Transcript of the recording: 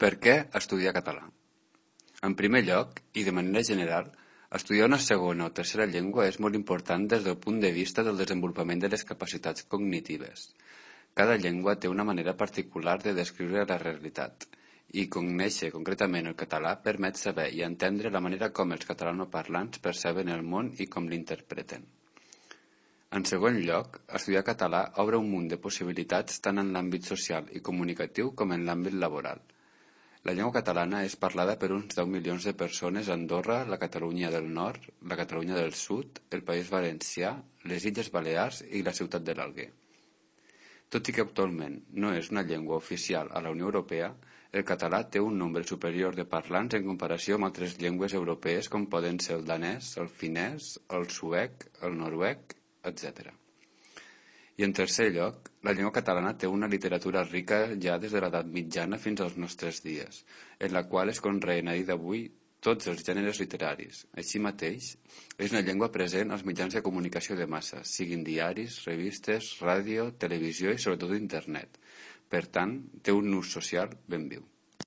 Per què estudiar català? En primer lloc, i de manera general, estudiar una segona o tercera llengua és molt important des del punt de vista del desenvolupament de les capacitats cognitives. Cada llengua té una manera particular de descriure la realitat, i conèixer concretament el català permet saber i entendre la manera com els catalanoparlants perceben el món i com l'interpreten. En segon lloc, estudiar català obre un munt de possibilitats tant en l'àmbit social i comunicatiu com en l'àmbit laboral. La llengua catalana és parlada per uns 10 milions de persones a Andorra, la Catalunya del Nord, la Catalunya del Sud, el País Valencià, les Illes Balears i la ciutat de l'Alguer. Tot i que actualment no és una llengua oficial a la Unió Europea, el català té un nombre superior de parlants en comparació amb altres llengües europees com poden ser el danès, el finès, el suec, el noruec, etc. I en tercer lloc, la llengua catalana té una literatura rica ja des de l'edat mitjana fins als nostres dies, en la qual es conreen a dia d'avui tots els gèneres literaris. Així mateix, és una llengua present als mitjans de comunicació de massa, siguin diaris, revistes, ràdio, televisió i sobretot internet. Per tant, té un ús social ben viu.